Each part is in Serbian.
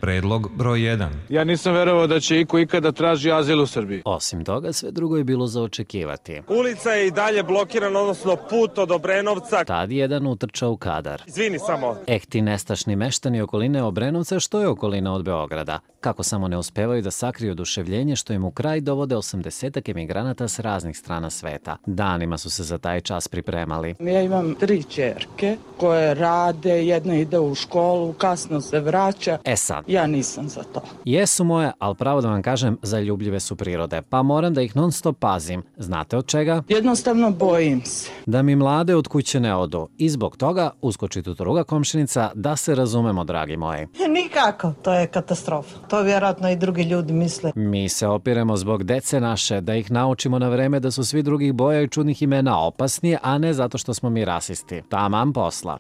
Predlog broj 1. Ja nisam verovao da će iko ikada traži azil u Srbiji. Osim toga, sve drugo je bilo za očekivati. Ulica je i dalje blokirana, odnosno put od Obrenovca. Tad jedan utrča u kadar. Izvini samo. Ti nestašni meštani okoline Obrenovca, što je okolina od Beograda. Kako samo ne uspevaju da sakriju oduševljenje što im u kraj dovode 80-ak emigranata s raznih strana sveta. Danima su se za taj čas pripremali. Ja imam 3 ćerke koje rade, jedna ide u školu, kasno se vraća. Sad. Ja nisam za to. Jesu moje, ali pravo da vam kažem, zaljubljive su prirode, pa moram da ih non stop pazim. Znate od čega? Jednostavno bojim se. Da mi mlade od kuće ne odu. I zbog toga uskoči tu druga komšinica, da se razumemo, dragi moji. Nikako, to je katastrofa. To vjerojatno i drugi ljudi misle. Mi se opiremo zbog dece naše, da ih naučimo na vreme da su svi drugih boja i čudnih imena opasni, a ne zato što smo mi rasisti. Taman posla.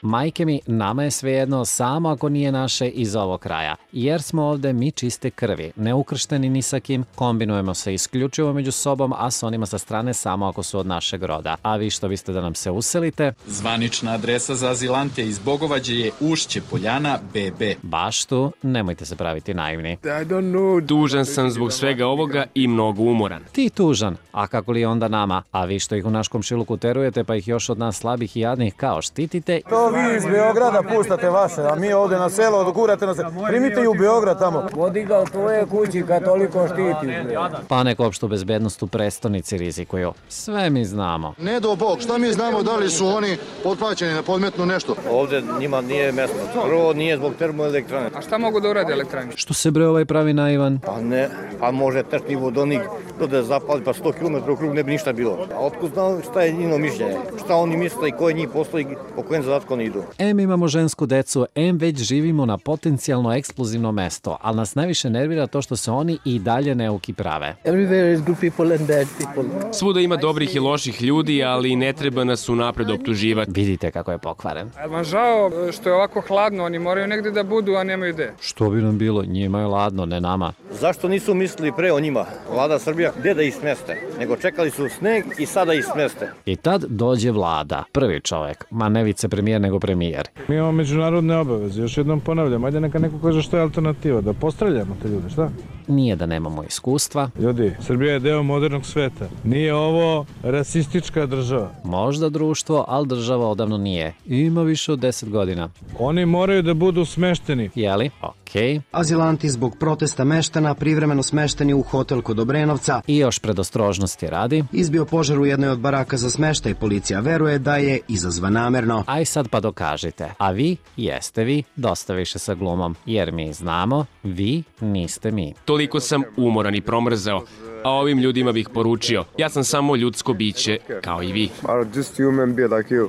Majke mi, nama je svejedno samo ako nije naše iz ovog kraja, jer smo ovde mi čiste krvi, neukršteni ni sa kim, kombinujemo se isključivo među sobom, a s onima sa strane samo ako su od našeg roda. A vi što biste da nam se uselite? Zvanična adresa za azilante iz Bogovađe je Ušće Poljana BB. Baš tu, nemojte se praviti naivni. Tužan sam zbog svega ovoga i mnogo umoran. Ti tužan, a kako li onda nama? A vi što ih u naš komšiluku terujete, pa ih još od nas slabih i jadnih kao štitite? Vi iz Beograda puštate vaše, a mi ovde na selo odgurate na selo. Primite i u Beograd tamo. Vodi ga u tvoje kući kad toliko štiti. Pa nek opštu bezbednost u prestonici rizikuju. Sve mi znamo. Ne do Bog, šta mi znamo da li su oni potplaćeni na podmetnu nešto? Ovde njima nije mesto. Prvo nije zbog termoelektrane. A šta mogu da urade elektrane? Što se bre ovaj pravi naivan? Pa ne, pa može tešni vodonik da zapali pa 100 km u krug ne bi ništa bilo. A otkud znao šta je njino mišljenje? Šta oni misle i koje njih postoji, po kojem zadatku oni idu? Imamo žensku decu, već živimo na potencijalno eksplozivno mesto, ali nas najviše nervira to što se oni i dalje neuki prave. Svuda ima dobrih i loših ljudi, ali ne treba nas unapred optuživati. Vidite kako je pokvaren. A vam žao što je ovako hladno, oni moraju negde da budu, a nemaju gde. Što bi nam bilo, njima je ladno, ne nama. Zašto nisu mislili pre o njima? Vlada Srbija, gde da ih smeste? Nego čekali su sneg i sada ih smeste. I tad dođe vlada, prvi čovek, ma ne vicepremijer nego premijer. Mi imamo međunarodne obaveze, još jednom ponavljam, ajde neka neko kaže što je alternativa, da postreljamo te ljude, šta? Nije da nemamo iskustva. Ljudi, Srbija je deo modernog sveta. Nije ovo rasistička država. Možda društvo, ali država odavno nije. Ima više od 10 godina. Oni moraju da budu smešteni. Jeli? Okej. Azilanti zbog protesta meštana privremeno smešteni u hotel kod Obrenovca. I još predostrožnosti radi. Izbio požar u jednoj od baraka za smeštaj. Policija veruje da je izazvan namerno. Aj sad pa dokažite. A vi, jeste vi, dosta više sa glumom. Jer mi znamo, vi niste mi. Toliko sam umoran i promrzao, a ovim ljudima bih poručio, ja sam samo ljudsko biće, kao i vi. Just human being like you.